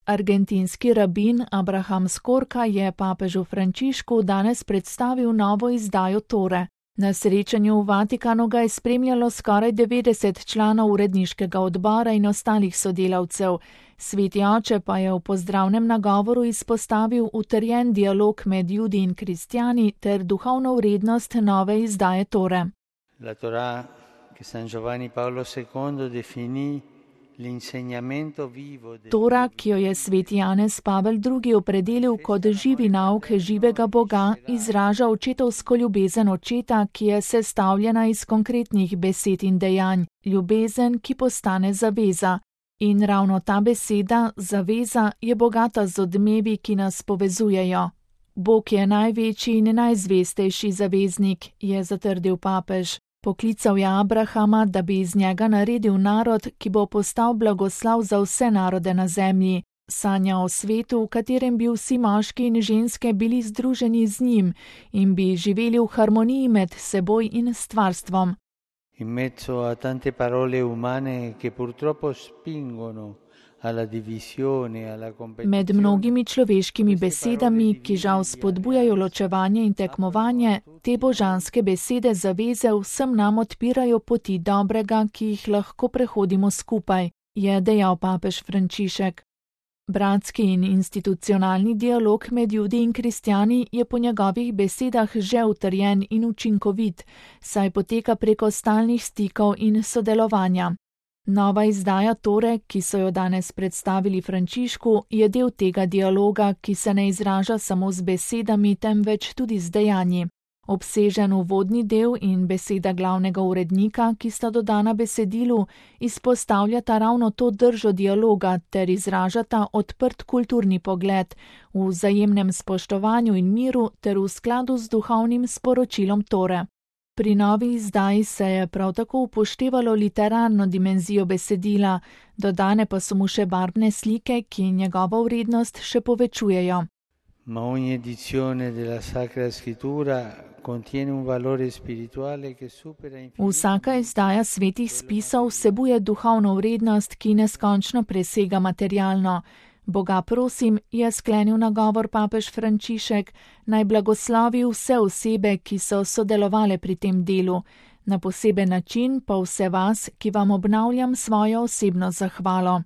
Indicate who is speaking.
Speaker 1: Argentinski rabin Abraham Skorka je papežu Frančišku danes predstavil novo izdajo Tore. Na srečanju v Vatikanu ga je spremljalo skoraj 90 članov uredniškega odbora in ostalih sodelavcev. Sveti oče pa je v pozdravnem nagovoru izpostavil utrjen dialog med Judi in kristjani ter duhovno vrednost nove izdaje Tore.
Speaker 2: La Torah, ki San Giovanni Paolo II definì
Speaker 1: Tora, ki jo je sveti Janez Pavel II opredelil kot živi nauk živega Boga, izraža očetovsko ljubezen očeta, ki je sestavljena iz konkretnih besed in dejanj, ljubezen, ki postane zaveza. In ravno ta beseda, zaveza, je bogata z odmevi, ki nas povezujejo. Bog je največji in najzvestejši zaveznik, je zatrdil papež. Poklical je Abrahama, da bi iz njega naredil narod, ki bo postal blagoslav za vse narode na zemlji. Sanja o svetu, v katerem bi vsi moški in ženske bili združeni z njim in bi živeli v harmoniji med seboj in stvarstvom.
Speaker 2: In mezzo a tante parole umane che purtroppo spingono alla divisione, alla competizione.
Speaker 1: Med mnogimi človeškimi besedami, ki žal spodbujajo ločevanje in tekmovanje, te božanske besede zaveze vsem nam odpirajo poti dobrega, ki jih lahko prehodimo skupaj, je dejal papež Frančišek. Bratski in institucionalni dialog med Judi in kristjani je po njegovih besedah že utrjen in učinkovit, saj poteka preko stalnih stikov in sodelovanja. Nova izdaja Tore, ki so jo danes predstavili Frančišku, je del tega dialoga, ki se ne izraža samo z besedami, temveč tudi z dejanji. Obsežen uvodni del in beseda glavnega urednika, ki sta dodana besedilu, izpostavljata ravno to držo dialoga ter izražata odprt kulturni pogled v vzajemnem spoštovanju in miru ter v skladu z duhovnim sporočilom Tore. Pri novi izdaji se je prav tako upoštevalo literarno dimenzijo besedila, dodane pa so mu še barvne slike, ki njegovo vrednost še povečujejo.
Speaker 2: Ma ogni edizione della Sacra Scrittura contiene un valore spirituale che supera infinito.
Speaker 1: Vsaka izdaja svetih spisov vsebuje duhovno vrednost, ki neskončno presega materialno. Boga prosim, je sklenil nagovor papež Frančišek, naj blagoslovi vse osebe, ki so sodelovale pri tem delu. Na poseben način pa vse vas, ki vam obnavljam svojo osebno zahvalo.